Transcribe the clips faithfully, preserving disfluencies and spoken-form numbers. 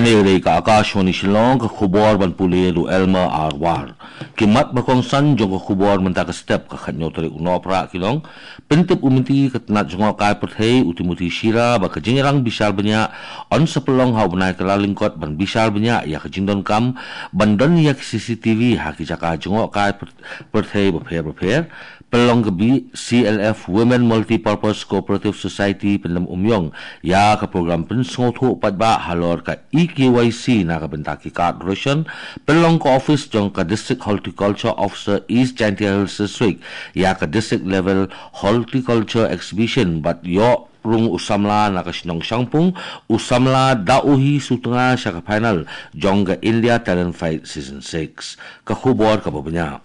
Ka dei ka Akashvani Shillong, ka khubor ban pule da u Elmer R War. Ki mat ba kongsan jong ka khubor mynta ka step, ka khatnyo tarik u Nohprah ki long: Pyntip u Myntri ka tnat jngohkai pyrthei u Timothy Shira ba ka jingïalang bishar bniah yn sa pynlong ha u bnai Kyllalyngkot ban bishar bniah ïa ka jingdonkam ban don ïa ki C C T V ha ki jaka jngohkai pyr- pyrthei bapher bapher. Pynlong ka B C L F Women Multipurpose Cooperative Society Pyndem Umïong ïa ka program pynsngewthuh paidbah halor ka E K Y C na ka bynta ki card ration. Pynlong ka office jong ka District Horticulture Officer East Jaintia Hills District ïa ka District Level Horticulture Exhibition bad ïoh rung u samla na ka shnong Shangpung, u samla da u hi sutnga sha ka final jong ka India Talent Fight Season six. Ka khubor kaba bniah.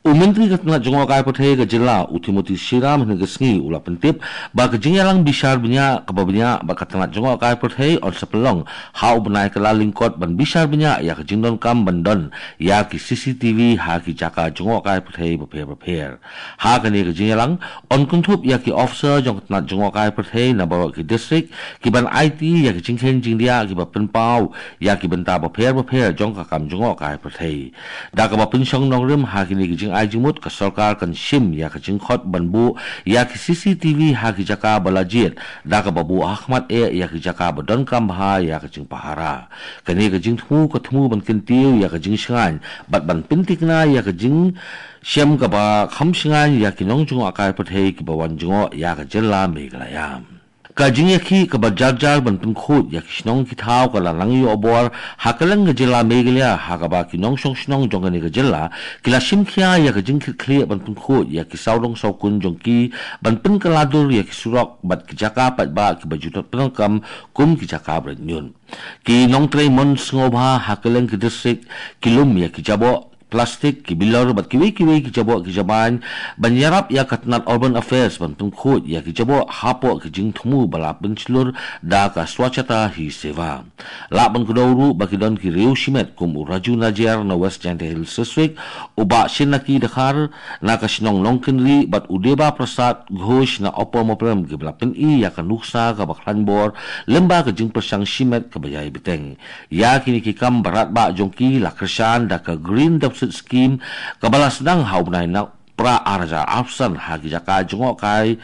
U Myntri ka tnat jngohkai pyrthei ka jylla u Timothy Shira mynhynne ka sngi u la pyntip ba ka jingïalang bishar bniah kaba bniah ba ka tnat jngohkai pyrthei yn sa pynlong ha u bnai Kyllalyngkot ban bishar bniah ïa ka jingdonkam ban don ïa ki C C T V ha ki jaka jngohkai pyrthei bapher bapher. Ha kane ka jingïalang yn kynthup ïa ki officer jong ka tnat jngohkai pyrthei na baroh ki district ki ban aiti ïa ki jingkheiñ jingdiah kiba pynpaw ïa ki bynta bapher bapher jong ka kam jngohkai pyrthei. Da kaba pynshong nongrim ha kine ki jingai jingmut, ka sorkar kan shim ïa ka jingkhot ban buh ïa ki C C T V ha ki jaka ba la jied, da kaba buh ha khmat eh ïa ki jaka ba donkam bha ïa ka jingpahara. Kane ka jingthmu ka thmu ban kyntiew ïa ka jingshngaiñ bad ban pyntikna ïa ka jing shem kaba kham shngaiñ ïa ki nongjngohkai pyrthei kiba wan jngoh ïa ka jylla Meghalaya. Ka jingïakhih kaba jar jar ban pynkhuid ïa ki shnong ki thaw ka la nang ïoh bor ha kylleng ka jylla Meghalaya, ha kaba ki nongshong shnong jong kane ka jylla ki la shim khia ïa ka jingkitkhlieh ban pynkhuid ïa ki sawdong sawkun jong ki ban pynkylla dur ïa ki surok bad ki jaka paidbah kiba ju dap pyndonkam kum ki jaka ba rit ñiut. Ki nongtrei mon sngewbha ha kylleng ki district ki lum ïa ki jaboh plastik, ki bilor bad kiwei kiwei ki jaboh ki jabieng ban ïarap ïa ka tnat Urban Affairs ban pynkhuid ïa ki jaboh hapoh ki jingthmu ba la pynshlur da ka Swachhata Hi Seva. Lah ban kdew ruh ba ki don ki riew shimet kum u Raju Najiar na West Jaintia Hills District, u Bah Shinaki Dkhar na ka shnong Nongkynrih bad u Deba Prasad Ghosh na Upper Moprem kiba la pyni ïa ka nuksa kaba khlaiñ bor lyngba ka jingpyrshang shimet kaba ïai bteng. Ïa kine ki kam ba radbah jong ki la kyrshan da ka Green Deposit Scheme kaba la sdang ha u bnai Nohprah ar hajar arphew san ha ki jaka jngohkai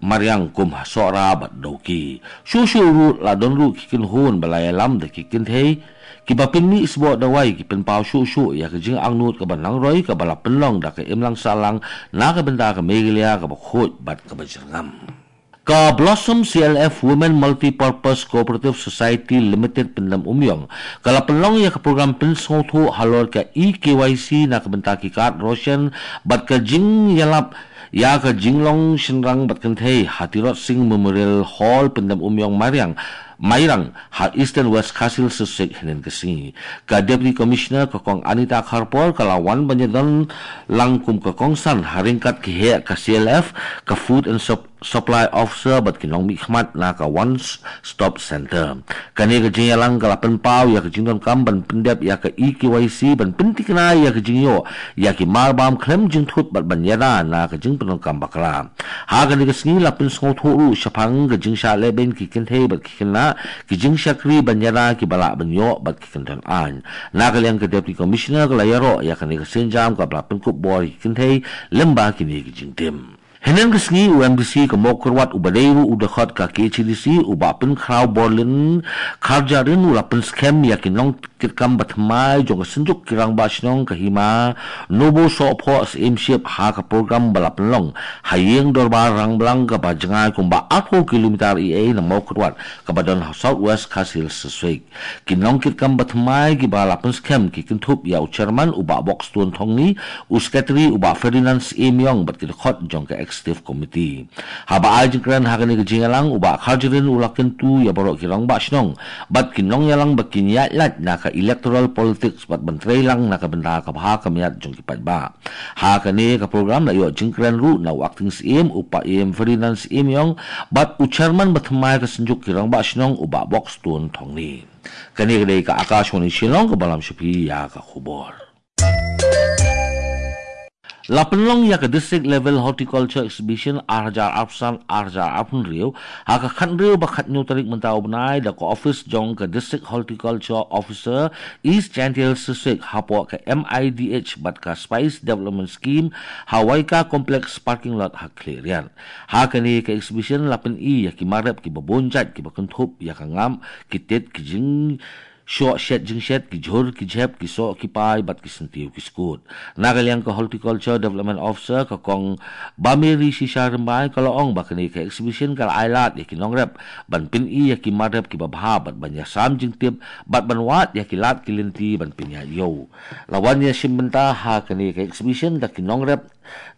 mariang kum ha Sohra bad Dawki. Shuh shuh ruh la don ruh ki kynhun ba la ïalam da ki kynthei kiba pynmih sboh dawai, ki pynpaw shuh shuh ïa ka jingangnud kaba nang roi kaba la pynlong da ka imlang sahlang na ka bynta ka Meghalaya kaba khuid bad kaba jyrngam. Ka Blossom C L F Women Multipurpose Cooperative Society Limited Pyndem Umïong ka la pynlong ïa ka program pynsngewthuh halor ka E K Y C na ka bynta ki card ration bad ka jingïalap ïa ka jinglong shynrang bad kynthei ha Tirot Sing Memorial Hall, Pyndem Umïong, Mairang, Mairang, ha Eastern West Khasi Hills District hynnin ka sngi. Ka Deputy Commissioner ka Kong Anita Kharpor ka la wan ban ïadon lang kum ka kongsan ha ryngkat ki heh ka C L F, ka Food and Sup- Supply Officer bad ki nongmihkhmat na ka One Stop Center. Kane ka jingïalang ka la pynpaw ïa ka jingdonkam ban pyndep ïa ka E K Y C ban pyntikna ïa ka jingïoh ïa ki marbam khlem jingthut bad ban ïada na ka jingpyndonkam bakla. Ha kane ka sngi la pynsngewthuh ruh shaphang ka jingshah lehbeiñ ki kynthei bad ki khynnah, ki jingshakri ban ïada kiba lah ban ïoh bad ki kyndon aiñ. Na ka liang ka Deputy Commissioner ka la ïaroh ïa kane ka sienjam kaba la pynkup bor ïa ki kynthei lyngba kine ki jingtim. Hynnin ka sngi u M D C ka Mawkyrwat uba dei ruh u dkhot ka K H A D C, u Bah Pynkhraw Borlin Kharjahrin, u la pynskhem ïa ki nongkitkam bathymmai jong ka Synjuk ki Rangbah Shnong ka Hima Nobosohphoh Syiemship ha ka program ba la pynlong ha Ïing Dorbar Rangblang kaba jngai kumba arphew kilometer eiei na Mawkyrwat kaba don ha South West Khasi Hills District. Ki nongkitkam bathymmai kiba la pynskhem ki kynthup ïa u Chairman u Bah Bokstone Thongni, u Secretary u Bah Ferdinand Syiemiong bad ki dkhot jong ka Executive Committee. Haba ai jingkren ha kane ka jingïalang, u Bah Kharjahrin u la kyntu ïa baroh ki Rangbah Shnong bad ki nongïalang ba kin ïaid lait na ka electoral politics bad ban trei lang na ka bynta ka bha ka miat jong ki paidbah. Ha kane ka program la ïoh jingkren ruh na u Acting Syiem u Bah Ïeim Ferdinand Syiemiong bad u Chairman bathymmai ka Synjuk ki Rangbah Shnong u Bah Bokstone Thongni. Kane ka dei ka Akashvani Shillong kaba lam sha phi ïa ka khubor. La pynlong ïa ka District Level Horticulture Exhibition ar hajar arphew san ar hajar arphew hynriew ha ka khathynriew bad khathynñiew tarik mynta u bnai da ka office jong ka District Horticulture Officer East Jaintia Hills District hapoh ka M I D H bad ka Spice Development Scheme ha Waika Complex parking lot ha Khliehriat. Ha kane ka exhibition la pyni ïa ki mar rep kiba bun jait kiba kynthup ïa ka ngam, ki tit, ki jing shoh shet jingshet, ki jhur ki jhep, ki soh ki pai bad ki syntiew ki skud. Na ka liang ka Horticulture Development Officer ka Kong Bameri Shisha Rymbai ka la ong ba kane ka exhibition ka la ai lad ïa ki nongrep ban pyni ïa ki mar rep kiba bha bad ban ïasam jingtip bad ban wad ïa ki lad ki lynti ban pynïaid ïew. La wan ïashim bynta ha kane ka exhibition da ki nongrep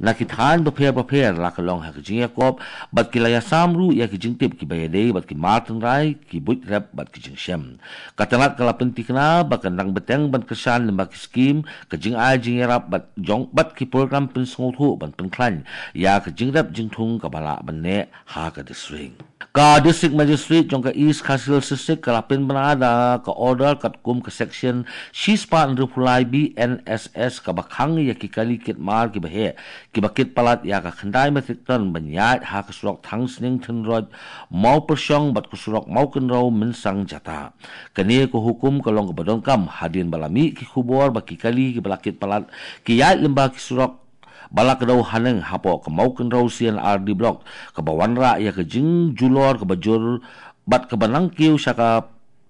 na ki thaiñ bapher bapher, la ka long ha ka jingïakop bad ki la ïasam ruh ïa ki jingtip kiba ïadei bad ki mar tynrai, ki buit rep bad ki jingshem. Ka tnat ka la pynthikna ba kan dang bteng ban kyrshan lyngba ki skim, ka jingai jingïarap bad jong bad ki program pynsngewthuh ban pynkhlaiñ ïa ka jingrep jingthung kaba lah ban neh ha ka district. Ka District Magistrate jong ka East Khasi Hills District ka la pynbna da ka order katkum ka section shispah hynriewphew lai B N S S kaba khang ïa ki kali kit mar kiba heh kiba kit palat ïa ka khyndai metric ton ban ïaid ha ka surok Thangsning Thynroit Mawpyrshong bad ka surok Mawkynrew Mynsang Jata. Kane ka hukum ka long kaba donkam hadien ba la mih ki khubor ba ki kali kiba la kit palat ki ïaid lyngba ki surok ba la kdew haneng hapoh ka Mawkynrew C and R D Block kaba wanrah ïa ka jingjulor kaba jur bad kaba nang kiew sha ka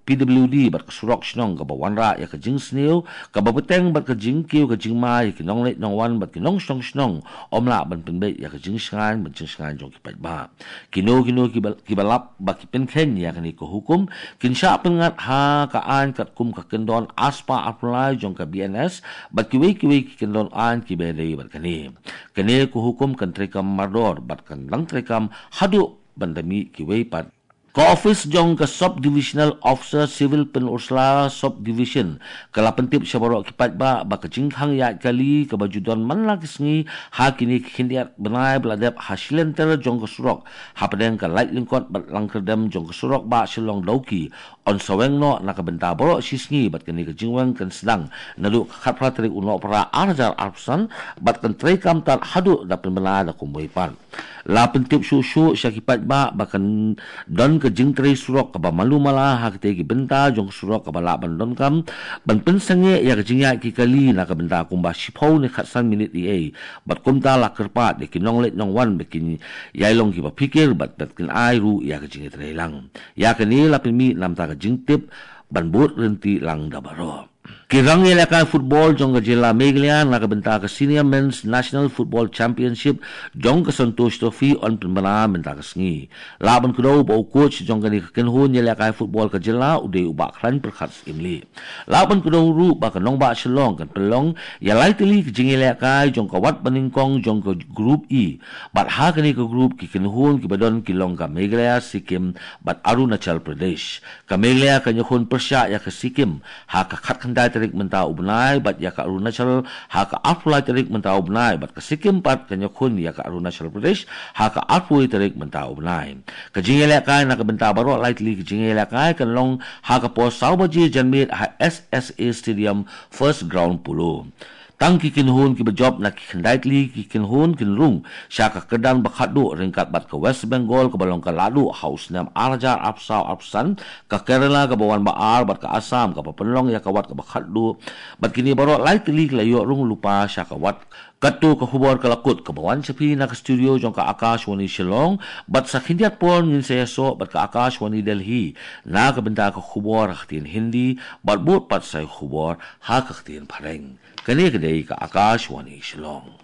P W D bad ka surok shnong kaba wanrah ïa ka jingsniew kaba bteng bad ka jingkiew ka jingma ïa ki nongleit nongwan bad ki nongshnong shnong, ym lah ban pynbeit ïa ka jingshngaiñ bad jingshngaiñ jong ki paidbah. Kino kino kiba, kiba lap ba ki pynkheiñ ïa kane ka hukum kin shah pynngat ha ka aiñ katkum ka kyndon arspah arphew lai jong ka B N S bad kiwei kiwei ki kyndon aiñ kiba ïadei bad kane. Kane ka hukum kan treikam mardor bad kan dang treikam haduh ban da mih kiwei pat. Ka office jong ka Sub Divisional Officer Civil Pynursla Sub Division ka la pyntip sha baroh ki paidbah ba ka jingkhang ïaid kali kaba ju don man la ki sngi ha kine ki khyndiat bnai ba la dep ha shilynter jong ka surok hapdeng ka laitlyngkot bad langkyrdem jong ka surok Bah Shillong Dawki yn sa weng noh na ka bynta baroh shi sngi bad kane ka jingweng kan sdang naduh ka khatphra tarik u Nohprah ar hajar arphew san bad kan treikam tad haduh da pynbna da kumwei pat. La pyntip shuh shuh sha ki paidbah ba kan don ka jingtrei surok kaba malu mala ha kitei ki bynta jong ka surok kaba lah ban donkam ban pynsangeh ïa ka jingïaid ki kali na ka bynta kumba shiphew ne khatsan minit eiei bad kumta la kyrpad ïa ki nongleit nongwan ba kin ïai long kiba phikir bad, bad kin ai ruh ïa ka jingïatreilang. Ïa kane la pynmih namar ka jingtip ban bud ryntih lang da baroh. Ki rangïalehkai football jong ka jylla Meghalaya na ka bynta ka Senior Men's National Football Championship jong ka Santosh Trophy yn pynbna mynta ka sngi. Lah ban kdew ba u coach jong kane ka kynhun ïalehkai football ka jylla u dei u Bah Khlaiñ Pyrkhat Syiemlieh. Lah ban kdew ruh ba ka nongbah Shillong kan pynlong ïa lai tylli ka jingïalehkai jong ka wat banyngkong jong ka Group E. Bad ha kane ka group ki kynhun kiba don ki long ka Meghalaya, Sikkim bad Arunachal Pradesh. Ka Meghalaya kan ïakhun pyrshah ïa ka Sikkim ha ka khatkhyndai tarik mynta u bnai bad ïa ka Arunachal ha ka arphew lai tarik mynta u bnai bad ka Sikkim pat kan ïakhun ïa ka Arunachal Pradesh ha ka arphew tarik mynta u bnai. Ka jingïalehkai na ka bynta baroh lai tylli ka jingïalehkai kan long ha ka por saw baje janmiet ha S S A Stadium, First Ground Polo. Tang ki kynhun kiba jop na ki khyndai tylli ki kynhun kin rung sha ka kyrdan ba khatduh ryngkat bad ka West Bengal kaba long ka laduh ha u snem ar hajar arphew saw arphew san, ka Kerala kaba wan ba ar bad ka Assam kaba pynlong ïa ka wat kaba khatduh. Bad kine baroh lai tylli ki la ïoh rung lypa sha ka wat. Katto ka khubor ka la kut kaba wan sha phi na ka studio jong ka Akashvani Shillong bad sa khyndiat por ngin sa ïasoh bad ka Akashvani Delhi na ka bynta ka khubor ha ka ktien Hindi bad bud pat sa ïa ka khubor ha ka ktien Phareng. Kane ka dei ka Akashvani Shillong.